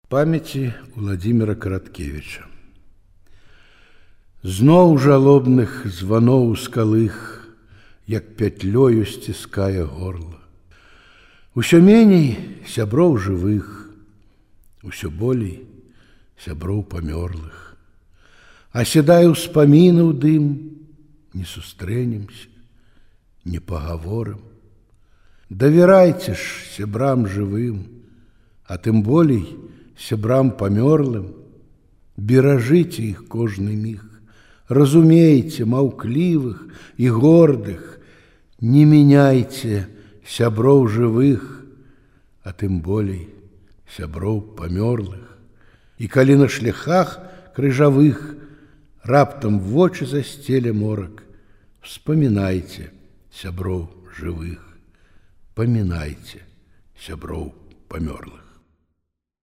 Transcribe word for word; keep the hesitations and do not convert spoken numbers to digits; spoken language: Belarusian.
Памяці Владимира Караткевича. Зноў жалобных званоў скалых, як пятлёю сціскае горла. Усё меней сяброў жывых, усё болей сяброў памёрлых. Аседае ўспаміны ў дым, не сустрэнемся, не пагаворым. Давярайце ж сябрам жывым, а тым болей сябрам памёрлым, беражыце іх кожны міг, разумейце маўклівых і гордых, не мяняйце сяброў жывых, а тым болей сяброў памёрлых. І калі на шляхах крыжавых раптам вочы засцеле морак, вспамінайце сяброў жывых, памінайце сяброў памёрлых.